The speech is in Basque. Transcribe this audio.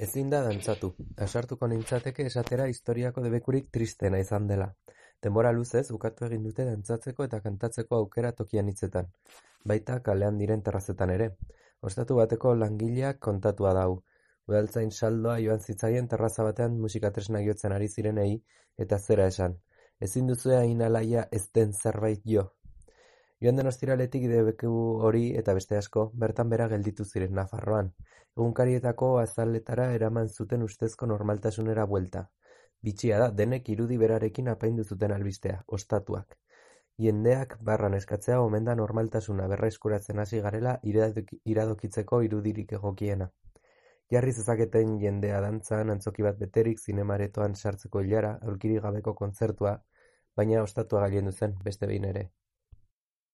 Ezin da dantzatu, ausartuko nintzateke esatera historiako debekurik tristeena izan dela. Denbora luzez ukatu egin dute dantzatzeko eta kantatzeko aukera toki anitzetan, baita kalean diren terrazetan ere. Ostatu bateko langileak kontatua da hau. Udaltzain saldoa joan zitzaien terraza batean musikatresnak jotzen ari zirenei eta zera esan. Ezin duzue hain alaia ez den zerbait jo. Joan den ostiraletik debeku hori eta beste asko bertan bera gelditu ziren Nafarroan. Egunkarietako azaletara eraman zuten ustezko normaltasunera buelta. Bitxia da, denek irudi berarekin apaindu zuten albistea, ostatuak. Jendeak barran eskatzea omen da normaltasuna berreskuratzen hasi garela iradokitzeko irudirik egokiena. Jarri zezaketen jendea dantzan, antzoki bat beterik, zinemaretoan sartzeko ilara, aulkirik gabeko kontzertua, baina ostatua gailendu zen, beste behin ere.